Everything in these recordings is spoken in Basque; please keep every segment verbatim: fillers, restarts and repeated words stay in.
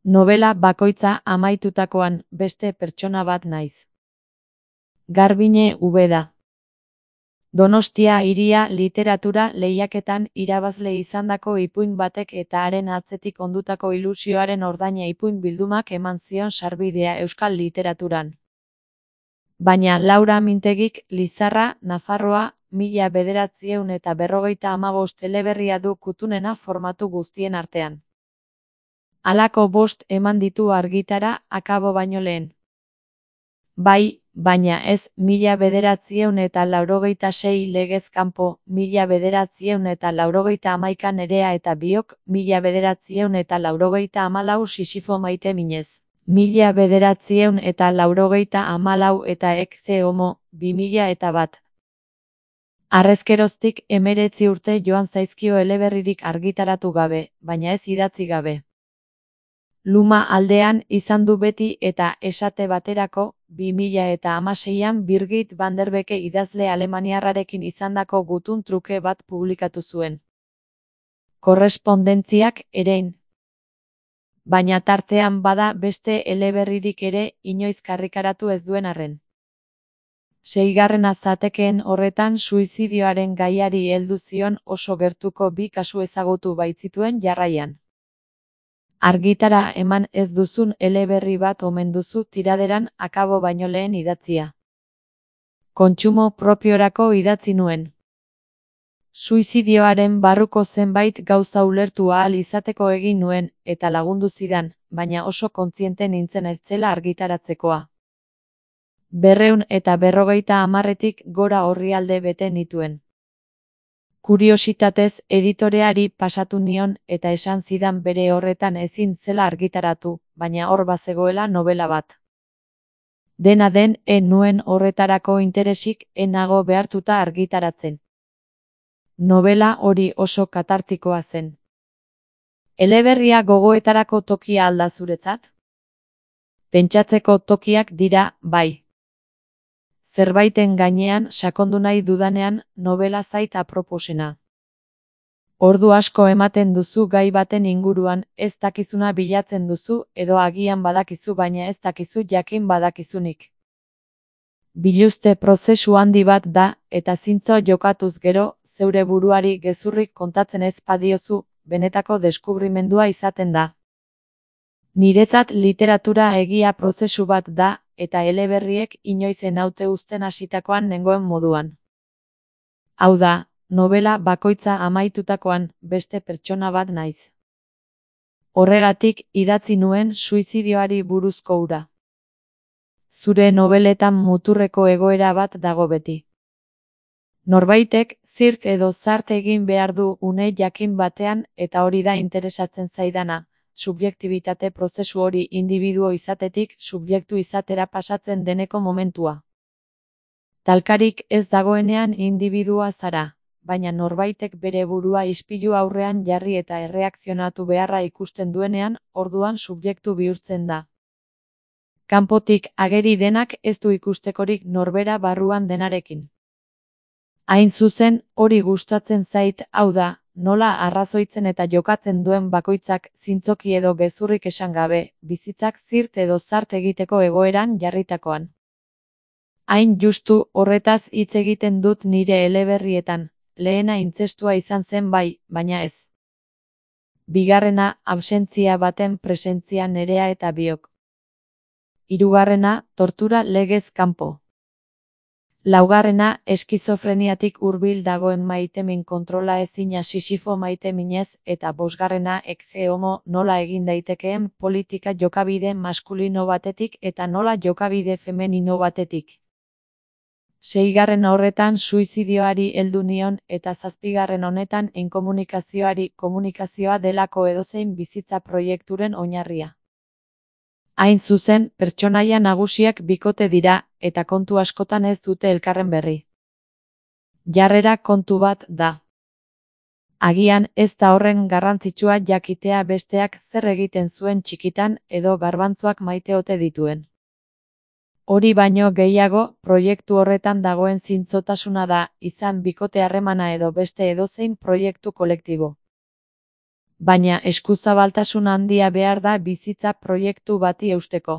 Nobela bakoitza amaitutakoan beste pertsona bat naiz. Garbiñe Ubeda. Donostia Hiria literatura lehiaketan irabazle izandako ipuin batek eta haren atzetik ondutako ilusioaren ordaina ipuin bildumak eman zion sarbidea euskal literaturan. Baina Laura Mintegik Lizarra, Nafarroa, mila bederatziehun eta berrogeita hamabost eleberria du kutunena formatu guztien artean. Halako bost eman ditu argitara akabo baino lehen. Bai, baina ez mila bederatziehun eta laurogeita sei legez kanpo, mila bederatziehun eta laurogeita hamaika Nerea eta biok, mila bederatziehun eta laurogeita hamalau Sisifo maite minez, mila bederatziehun eta laurogeita hamalau eta Ekze homo, bi mila eta bat. Harrezkeroztik hemeretzi urte joan zaizkio eleberririk argitaratu gabe, baina ez idatzi gabe. Luma aldean izan du beti eta esate baterako, bi mila eta hamaseian Birgit van der Beke idazle alemaniarrarekin izandako gutun truke bat publikatu zuen. Korrespondentziak erein. Baina tartean bada beste eleberririk ere inoiz karrikaratu ez duen arren. Seigarrena zatekeen horretan suizidioaren gaiari heldu zion oso gertuko bi kasu ezagutu baitzituen jarraian. Argitara eman ez duzun eleberri bat omen duzu tiraderan akabo baino lehen idatzia. Kontsumo propiorako idatzi nuen. Suizidioaren barruko zenbait gauza ulertu ahal izateko egin nuen, eta lagundu zidan, baina oso kontziente nintzen ez zela argitaratzekoa. Berreun eta berrogeita hamarretik gora orrialde bete nituen. Kuriositatez editoreari pasatu nion eta esan zidan bere horretan ezin zela argitaratu, baina hor bazegoela nobela bat. Dena den, en nuen horretarako interesik enago behartuta argitaratzen. Nobela hori oso katartikoa zen. Eleberria gogoetarako tokia alda zuretzat? Pentsatzeko tokiak dira, bai. Zerbaiten gainean sakondu nahi dudanean nobela zait aproposena. Ordu asko ematen duzu gai baten inguruan, ez dakizuna bilatzen duzu edo agian badakizu baina ez dakizu jakin badakizunik. Biluzte prozesu handi bat da eta zintzo jokatuz gero, zeure buruari gezurrik kontatzen ez badiozu, benetako deskubrimendua izaten da. Niretzat literatura egia prozesu bat da, eta eleberriek inoizen haute uzten hasitakoan nengoen moduan. Hau da, nobela bakoitza amaitutakoan beste pertsona bat naiz. Horregatik idatzi nuen suizidioari buruzko hura. Zure nobeletan muturreko egoera bat dago beti. Norbaitek zirt edo zart egin behar du une jakin batean eta hori da interesatzen zaidana. Subjektibitate prozesu hori indibiduo izatetik subjektu izatera pasatzen deneko momentua. Talkarik ez dagoenean indibidua zara, baina norbaitek bere burua ispilu aurrean jarri eta erreakzionatu beharra ikusten duenean, orduan subjektu bihurtzen da. Kanpotik ageri denak ez du ikustekorik norbera barruan denarekin. Hain zuzen, hori gustatzen zait, hau da, nola arrazoitzen eta jokatzen duen bakoitzak zintzoki edo gezurrik esan gabe, bizitzak zirt edo zart egiteko egoeran jarritakoan. Hain justu horretaz hitz egiten dut nire eleberrietan, lehena intzestua izan zen bai, baina ez. Bigarrena, absentzia baten presentzia Nerea eta biok. Hirugarrena, tortura legez kanpo. Laugarrena, eskizofreniatik hurbil dagoen maitemin kontrola ezina Sisifo maite minez eta bosgarrena Ekze homo nola egin daitekeen politika jokabide maskulino batetik eta nola jokabide femenino batetik. Seigarren horretan suizidioari heldu nion eta zazpigarren honetan inkomunikazioari komunikazioa delako edozein bizitza proiekturen oinarria. Hain zuzen, pertsonaia nagusiak bikote dira, eta kontu askotan ez dute elkarren berri. Jarrera kontu bat da. Agian ez da horren garrantzitsua jakitea besteak zer egiten zuen txikitan edo garbantzuak maite ote dituen. Hori baino gehiago, proiektu horretan dagoen zintzotasuna da, izan bikote harremana edo beste edozein proiektu kolektibo. Baina eskuzabaltasun handia behar da bizitza proiektu bati eusteko.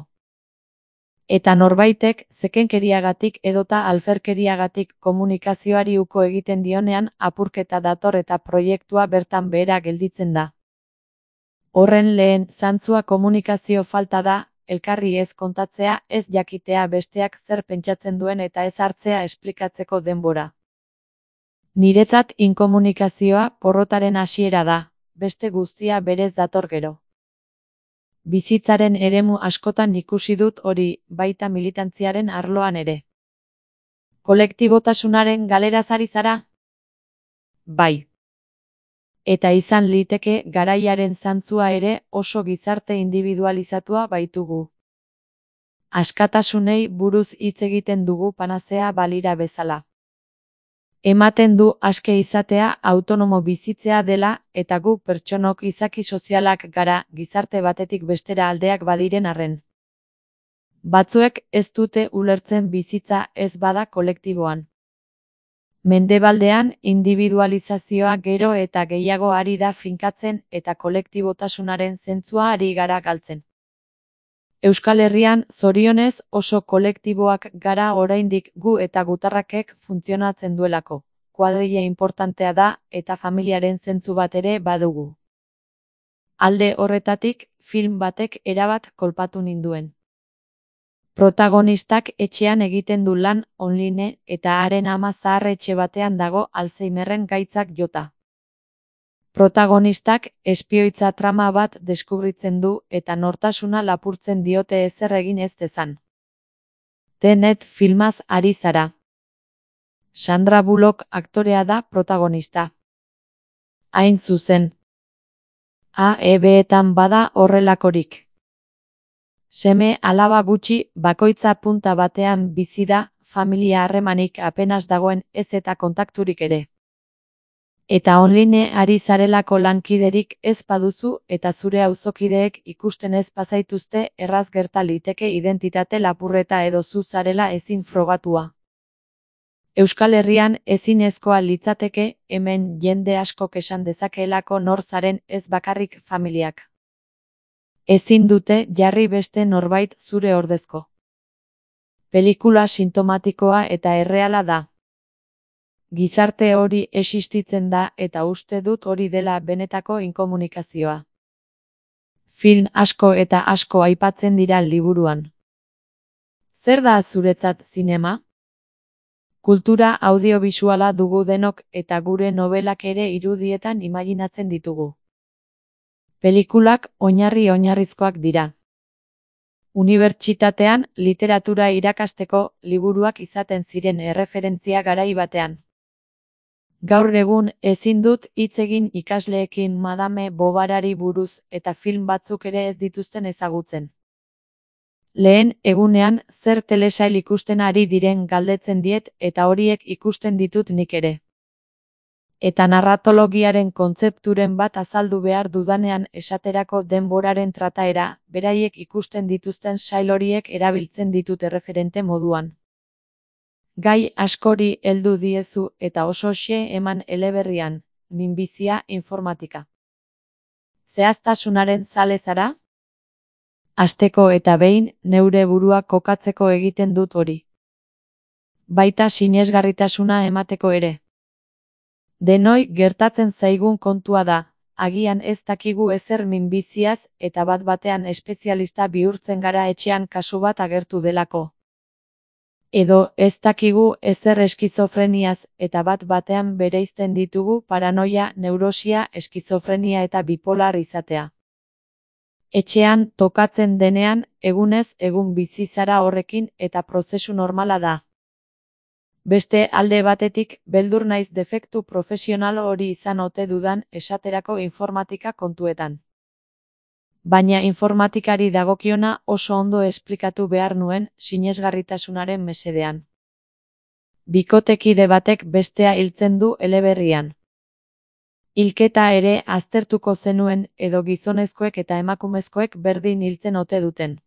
Eta norbaitek zekenkeriagatik edota alferkeriagatik komunikazioari uko egiten dionean apurketa dator eta proiektua bertan behera gelditzen da. Horren lehen zantzua komunikazio falta da, elkarri ez kontatzea, ez jakitea besteak zer pentsatzen duen eta ez hartzea esplikatzeko denbora. Niretzat inkomunikazioa porrotaren hasiera da, beste guztia berez dator gero. Bizitzaren eremu askotan ikusi dut hori, baita militantziaren arloan ere. Kolektibotasunaren galeraz ari zara? Bai. Eta izan liteke garaiaren zantzua ere oso gizarte individualizatua baitugu. Askatasunei buruz hitz egiten dugu panazea balira bezala. Ematen du aske izatea autonomo bizitzea dela eta gu pertsonok izaki sozialak gara gizarte batetik bestera aldeak badiren arren. Batzuek ez dute ulertzen bizitza ez bada kolektiboan. Mendebaldean individualizazioa gero eta gehiago ari da finkatzen eta kolektibotasunaren zentzua ari gara galtzen. Euskal Herrian, zorionez, oso kolektiboak gara oraindik gu eta gutarrakek funtzionatzen duelako. Kuadrilla importantea da eta familiaren zentzu bat ere badugu. Alde horretatik, film batek erabat kolpatu ninduen. Protagonistak etxean egiten du lan online eta haren ama zahar etxe batean dago Alzheimerren gaitzak jota. Protagonistak espioitza trama bat deskubritzen du eta nortasuna lapurtzen diote ezer egin ez dezan. Tenet filmaz ari zara. Sandra Bullock aktorea da protagonista. Hain zuzen. A E B-etan bada horrelakorik. Seme alaba gutxi bakoitza punta batean bizi da, familia harremanik apenas dagoen ez eta kontakturik ere. Eta online ari zarelako lankiderik ez baduzu eta zure auzokideek ikusten ez bazaituzte erraz gerta liteke identitate lapurreta edo zu zarela ezin frogatua. Euskal Herrian ezinezkoa litzateke hemen jende askok esan dezakeelako nor zaren ez bakarrik familiak. Ezin dute jarri beste norbait zure ordezko. Pelikula sintomatikoa eta erreala da. Gizarte hori existitzen da eta uste dut hori dela benetako inkomunikazioa. Film asko eta asko aipatzen dira liburuan. Zer da zuretzat zinema? Kultura audiobisuala dugu denok eta gure nobelak ere irudietan imaginatzen ditugu. Pelikulak oinarri oinarrizkoak dira. Unibertsitatean literatura irakasteko liburuak izaten ziren erreferentzia garai batean. Gaur egun ezin dut hitz egin ikasleekin Madame Bovarari buruz eta film batzuk ere ez dituzten ezagutzen. Lehen egunean zer telesail ikusten ari diren galdetzen diet eta horiek ikusten ditut nik ere. Eta narratologiaren kontzepturen bat azaldu behar dudanean esaterako denboraren trataera, beraiek ikusten dituzten sail horiek erabiltzen ditut erreferente moduan. Gai askori heldu diezu eta oso xe eman eleberrian, minbizia informatika. Zehaztasunaren zale zara? Asteko eta behin neure burua kokatzeko egiten dut hori. Baita sinesgarritasuna emateko ere. Denoi gertatzen zaigun kontua da, agian ez dakigu ezer minbiziaz eta bat batean espezialista bihurtzen gara etxean kasu bat agertu delako. Edo ez dakigu ezer eskizofreniaz eta bat batean bereizten ditugu paranoia, neurosia, eskizofrenia eta bipolar izatea. Etxean tokatzen denean, egunez egun bizi zara horrekin eta prozesu normala da. Beste alde batetik, beldur naiz defektu profesional hori izan ote dudan esaterako informatika kontuetan. Baina informatikari dagokiona oso ondo esplikatu behar nuen sinesgarritasunaren mesedean. Bikotekide batek bestea hiltzen du eleberrian. Hilketa ere aztertuko zenuen edo gizonezkoek eta emakumezkoek berdin hiltzen ote duten.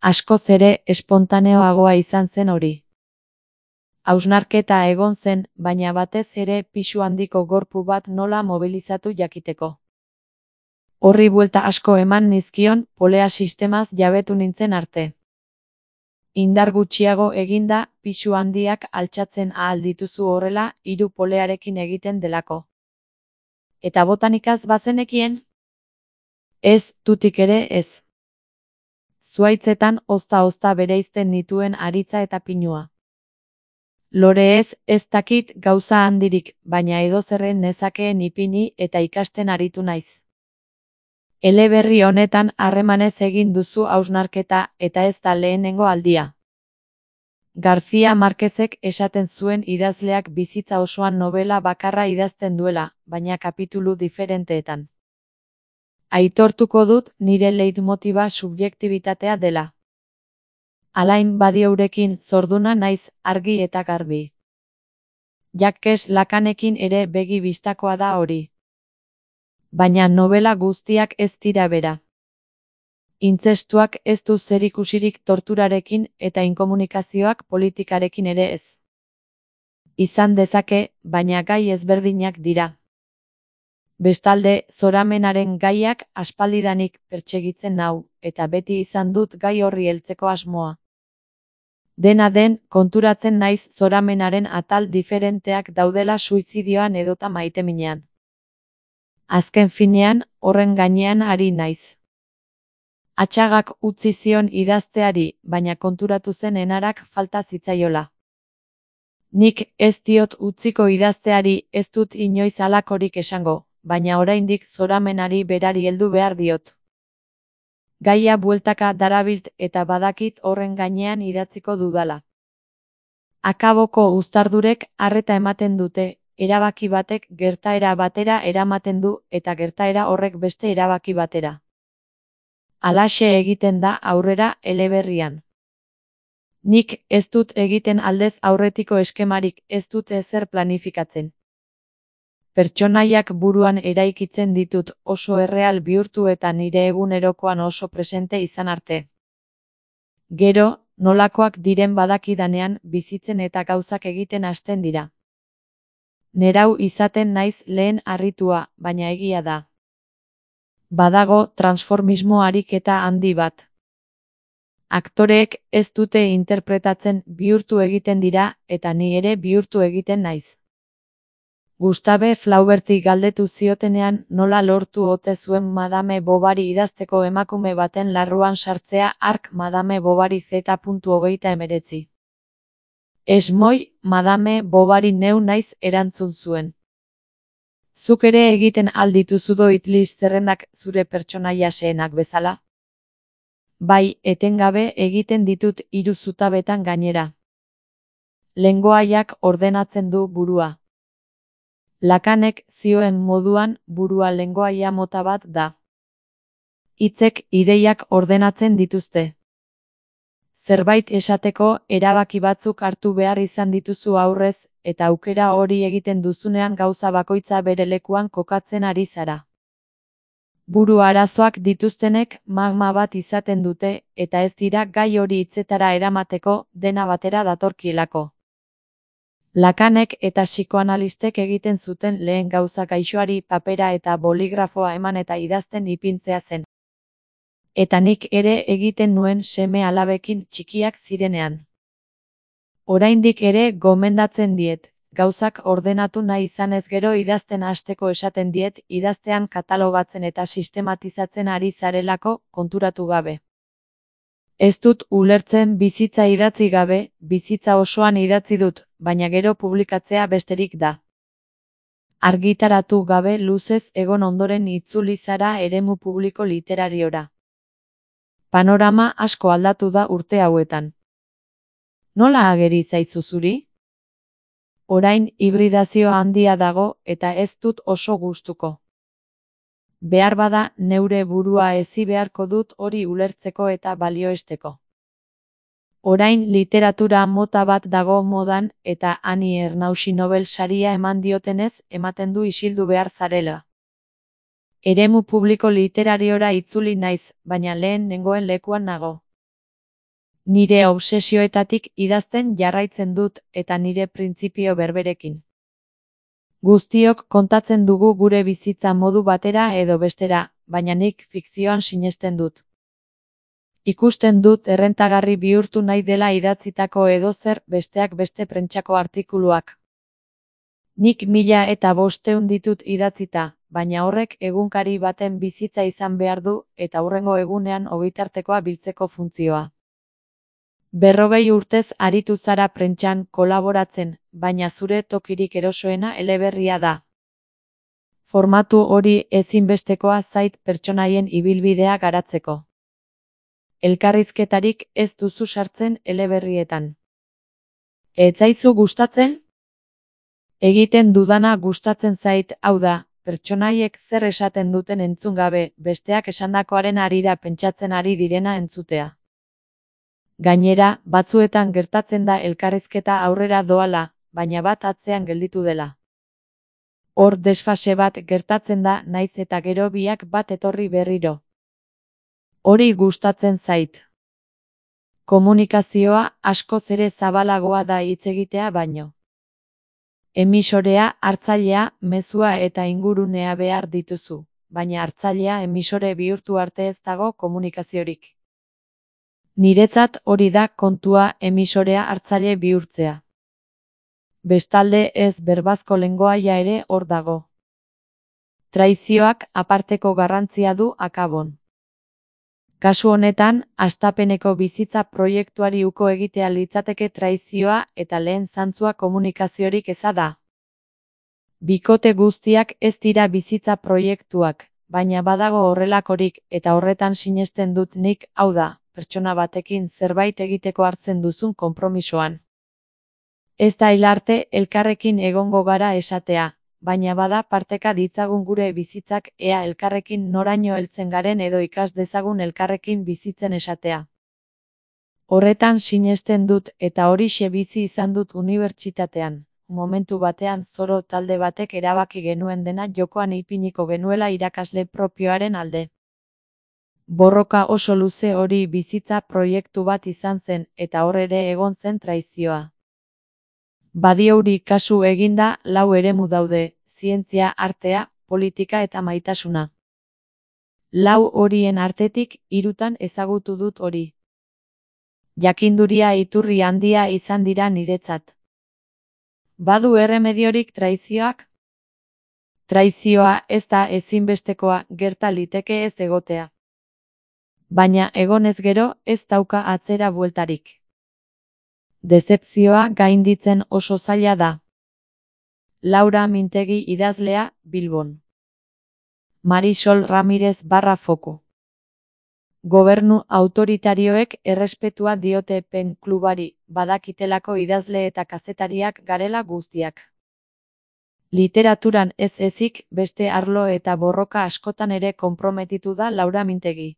Askoz ere espontaneoagoa izan zen hori. Hausnarketa egon zen, baina batez ere pisu handiko gorpu bat nola mobilizatu jakiteko. Horri buelta asko eman nizkion, polea sistemaz jabetu nintzen arte. Indar gutxiago eginda, pisu handiak altxatzen ahal dituzu horrela, hiru polearekin egiten delako. Eta botanikaz bazenekien? Ez, tutik ere ez. Zuaitzetan ozta-ozta bereizten nituen aritza eta pinua. Lore ez, ez dakit gauza handirik, baina edozerren nezakeen ipini eta ikasten aritu naiz. Eleberri honetan harremanez egin duzu hausnarketa eta ez da lehenengo aldia. García Márquezek esaten zuen idazleak bizitza osoan novela bakarra idazten duela, baina kapitulu diferenteetan. Aitortuko dut nire leitmotiba subjektibitatea dela. Alain Badiourekin zorduna naiz argi eta garbi. Jacques Lacanekin ere begi bistakoa da hori. Baina novela guztiak ez dira bera. Intzestuak ez du zerikusirik torturarekin eta inkomunikazioak politikarekin ere ez. Izan dezake, baina gai ezberdinak dira. Bestalde, zoramenaren gaiak aspaldidanik pertsegitzen nau, eta beti izan dut gai horri heltzeko asmoa. Dena den, konturatzen naiz zoramenaren atal diferenteak daudela suizidioan edota maiteminean. Azken finean, horren gainean ari naiz. Atxagak utzi zion idazteari, baina konturatu zen enarak falta zitzaiola. Nik ez diot utziko idazteari, ez dut inoiz halakorik esango, baina oraindik zoramenari berari heldu behar diot. Gaia bueltaka darabilt eta badakit horren gainean idatziko dudala. Akaboko uztardurek arreta ematen dute, erabaki batek gertaera batera eramaten du eta gertaera horrek beste erabaki batera. Halaxe egiten da aurrera eleberrian. Nik ez dut egiten aldez aurretiko eskemarik, ez dut ezer planifikatzen. Pertsonaiak buruan eraikitzen ditut oso erreal bihurtu eta nire egunerokoan oso presente izan arte. Gero, nolakoak diren badakidanean bizitzen eta gauzak egiten hasten dira. Nerau izaten naiz lehen harritua, baina egia da. Badago transformismo ariketa handi bat. Aktoreek ez dute interpretatzen bihurtu egiten dira eta ni ere bihurtu egiten naiz. Gustave Flauberti galdetu ziotenean nola lortu ote zuen Madame Bovary idazteko emakume baten larruan sartzea hark Madame Bovary Z hogeita hemeretzi. Esmoi, Madame Bovary neu naiz erantzun zuen. Zuk ere egiten aldituzu doitlis zerrendak zure pertsonaia xehenak bezala? Bai, etengabe egiten ditut hiru zutabetan gainera. Lengoaiak ordenatzen du burua. Lacanek zioen moduan burua lengoaia mota bat da. Hitzek ideiak ordenatzen dituzte. Zerbait esateko erabaki batzuk hartu behar izan dituzu aurrez, eta aukera hori egiten duzunean gauza bakoitza bere lekuan kokatzen ari zara. Buru arazoak dituztenek magma bat izaten dute, eta ez dira gai hori hitzetara eramateko dena batera datorkielako. Lacanek eta psikoanalistek egiten zuten lehen gauza gaixoari papera eta boligrafoa eman eta idazten ipintzea zen. Eta nik ere egiten nuen seme alabekin txikiak zirenean. Oraindik ere gomendatzen diet, gauzak ordenatu nahi izanez gero idazten hasteko esaten diet idaztean katalogatzen eta sistematizatzen ari zarelako konturatu gabe. Ez dut ulertzen bizitza idatzi gabe, bizitza osoan idatzi dut, baina gero publikatzea besterik da. Argitaratu gabe luzez egon ondoren itzuli zara eremu publiko literariora. Panorama asko aldatu da urte hauetan. Nola ageri zaizu zuri? Orain hibridazio handia dago eta ez dut oso gustuko. Behar bada neure burua ezi beharko dut hori ulertzeko eta balioesteko. Orain literatura mota bat dago modan eta Ani Ernausi Nobel saria eman diotenez ematen du isildu behar zarela. Eremu publiko literariora itzuli naiz, baina lehen nengoen lekuan nago. Nire obsesioetatik idazten jarraitzen dut eta nire printzipio berberekin. Guztiok kontatzen dugu gure bizitza modu batera edo bestera, baina nik fikzioan sinesten dut. Ikusten dut errentagarri bihurtu nahi dela idatzitako edozer besteak beste prentsako artikuluak. Nik mila eta bosteun ditut idatzita, baina horrek egunkari baten bizitza izan behar du eta hurrengo egunean ogitartekoa biltzeko funtzioa. Berrogei urtez aritu zara prentsan kolaboratzen, baina zure tokirik erosoena eleberria da. Formatu hori ezinbestekoa zait pertsonaien ibilbidea garatzeko. Elkarrizketarik ez duzu sartzen eleberrietan. Ez zaizu gustatzen? Egiten dudana gustatzen zait, hau da, pertsonaiek zer esaten duten entzun gabe, besteak esandakoaren harira pentsatzen ari direna entzutea. Gainera, batzuetan gertatzen da elkarrizketa aurrera doala, baina bat atzean gelditu dela. Hor desfase bat gertatzen da naiz eta gero biak bat etorri berriro. Hori gustatzen zait. Komunikazioa askoz ere zabalagoa da hitz egitea baino. Emisorea, hartzailea, mezua eta ingurunea behar dituzu, baina hartzailea emisore bihurtu arte ez dago komunikaziorik. Niretzat hori da kontua, emisorea hartzaile bihurtzea. Bestalde ez berbazko lengoaia ere hor dago. Traizioak aparteko garrantzia du akabon. Kasu honetan, hastapeneko bizitza proiektuari uko egitea litzateke traizioa eta lehen zantzua komunikaziorik eza da. Bikote guztiak ez dira bizitza proiektuak, baina badago horrelakorik eta horretan sinesten dut nik, hau da, pertsona batekin zerbait egiteko hartzen duzun konpromisoan. Ez da hil arte elkarrekin egongo gara esatea, baina bada parteka ditzagun gure bizitzak ea elkarrekin noraino heltzen garen edo ikas dezagun elkarrekin bizitzen esatea. Horretan sinesten dut eta horixe bizi izan dut unibertsitatean. Momentu batean zoro talde batek erabaki genuen dena jokoan ipiniko genuela irakasle propioaren alde. Borroka oso luze hori bizitza proiektu bat izan zen eta hor ere egon zen traizioa. Badiouri kasu eginda lau eremu daude, zientzia, artea, politika eta maitasuna. Lau horien artetik hirutan ezagutu dut hori. Jakinduria iturri handia izan dira niretzat. Badu erremediorik traizioak? Traizioa ez da ezinbestekoa, gerta liteke ez egotea. Baina egonez gero ez dauka atzera bueltarik. Dezepzioa gainditzen oso zaila da. Laura Mintegi idazlea, Bilbon. Marisol Ramirez barra foku. Gobernu autoritarioek errespetua diote pen klubari, badakitelako idazle eta kazetariak garela guztiak. Literaturan ez ezik, beste arlo eta borroka askotan ere konprometitu da Laura Mintegi.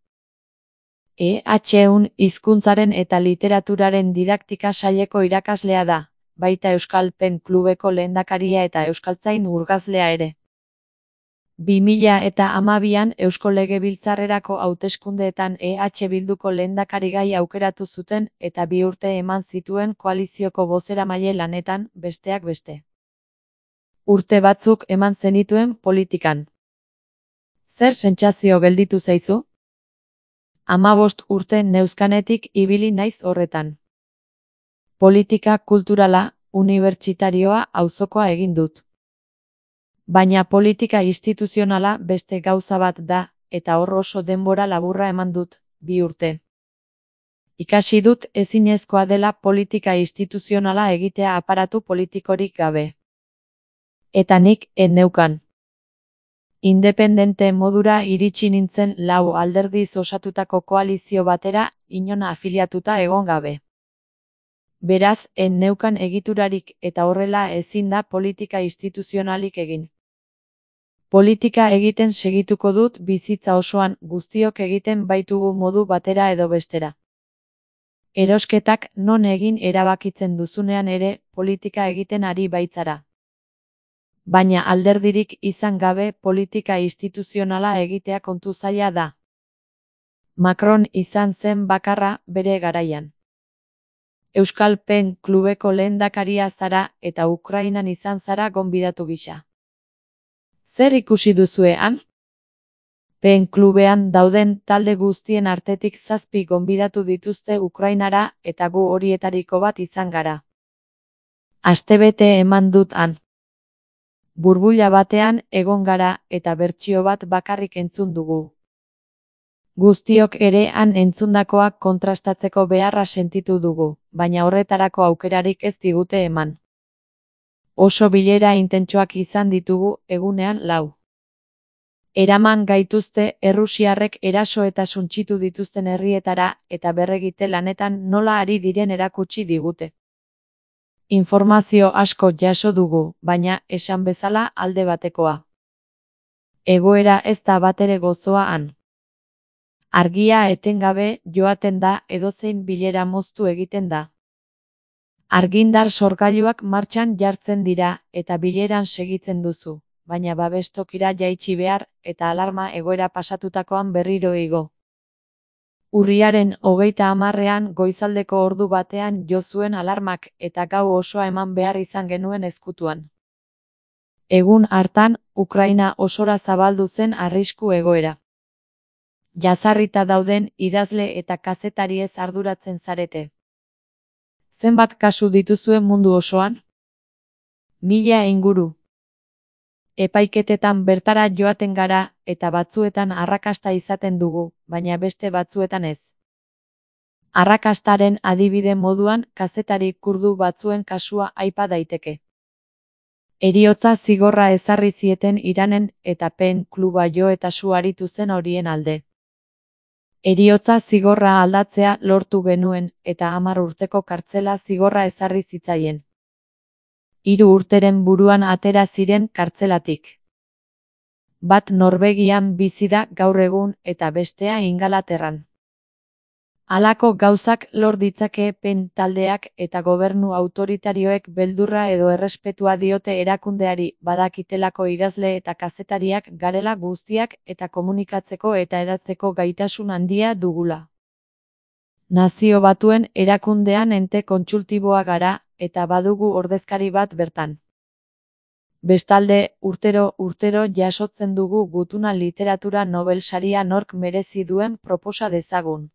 E H-un hizkuntzaren eta literaturaren didaktika saileko irakaslea da, baita Euskal Pen Klubeko lehendakaria eta euskaltzain urgazlea ere. bi mila eta hamabian Eusko Legebiltzarrerako hauteskundeetan E H Bilduko lehendakarigai aukeratu zuten eta bi urte eman zituen koalizioko bozeramaile lanetan, besteak beste. Urte batzuk eman zenituen politikan. Zer sentsazio gelditu zaizu? Hamabost urte neuzkanetik ibili naiz horretan. Politika kulturala, unibertsitarioa auzokoa egin dut. Baina politika instituzionala beste gauza bat da, eta hor oso denbora laburra eman dut, bi urte. Ikasi dut ezinezkoa dela politika instituzionala egitea aparatu politikorik gabe. Eta nik ez neukan. Independente modura iritsi nintzen lau alderdiz osatutako koalizio batera, inona afiliatuta egon gabe. Beraz, ez neukan egiturarik eta horrela ezin da politika instituzionalik egin. Politika egiten segituko dut bizitza osoan, guztiok egiten baitugu modu batera edo bestera. Erosketak non egin erabakitzen duzunean ere, politika egiten ari baitzara. Baina alderdirik izan gabe politika instituzionala egitea kontu zaila da. Macron izan zen bakarra bere garaian. Euskal Pen Klubeko lehendakaria zara eta Ukrainan izan zara gonbidatu gisa. Zer ikusi duzue han? Pen klubean dauden talde guztien artetik zazpi gonbidatu dituzte Ukrainara eta gu horietariko bat izan gara. Astebete eman dut han. Burbuila batean egon gara eta bertsio bat bakarrik entzun dugu. Guztiok ere han entzundakoak kontrastatzeko beharra sentitu dugu, baina horretarako aukerarik ez digute eman. Oso bilera intentsoak izan ditugu egunean lau. Eraman gaituzte errusiarrek eraso eta suntsitu dituzten herrietara eta berregite lanetan nola ari diren erakutsi digute. Informazio asko jaso dugu, baina esan bezala alde batekoa. Egoera ez da batere gozoa han. Argia etengabe joaten da edozein bilera moztu egiten da. Argindar sorgailuak martxan jartzen dira eta bileran segitzen duzu, baina babestokira jaitsi behar eta alarma egoera pasatutakoan berriro igo. Urriaren hogeita hamarrean goizaldeko ordu batean jo zuen alarmak eta gau osoa eman behar izan genuen ezkutuan. Egun hartan, Ukraina osora zabaldu zen arrisku egoera. Jazarrita dauden idazle eta kazetariez arduratzen zarete. Zenbat kasu dituzuen mundu osoan? Mila inguru. Epaiketetan bertara joaten gara eta batzuetan arrakasta izaten dugu, baina beste batzuetan ez. Arrakastaren adibide moduan kazetari kurdu batzuen kasua aipa daiteke. Heriotza zigorra ezarri zieten Iranen eta Pen kluba jo eta su aritu zen horien alde. Heriotza zigorra aldatzea lortu genuen eta hamar urteko kartzela zigorra ezarri zitzaien. Hiru urteren buruan atera ziren kartzelatik. Bat Norvegian bizi da gaur egun eta bestea Ingalaterran. Halako gauzak lor ditzake Pen taldeak eta gobernu autoritarioek beldurra edo errespetua diote erakundeari badakitelako idazle eta kazetariak garela guztiak eta komunikatzeko eta eratzeko gaitasun handia dugula. Nazio Batuen erakundean ente kontsultiboa gara eta badugu ordezkari bat bertan. Bestalde, urtero urtero jasotzen dugu gutuna literatura Nobel saria nork merezi duen proposa dezagun.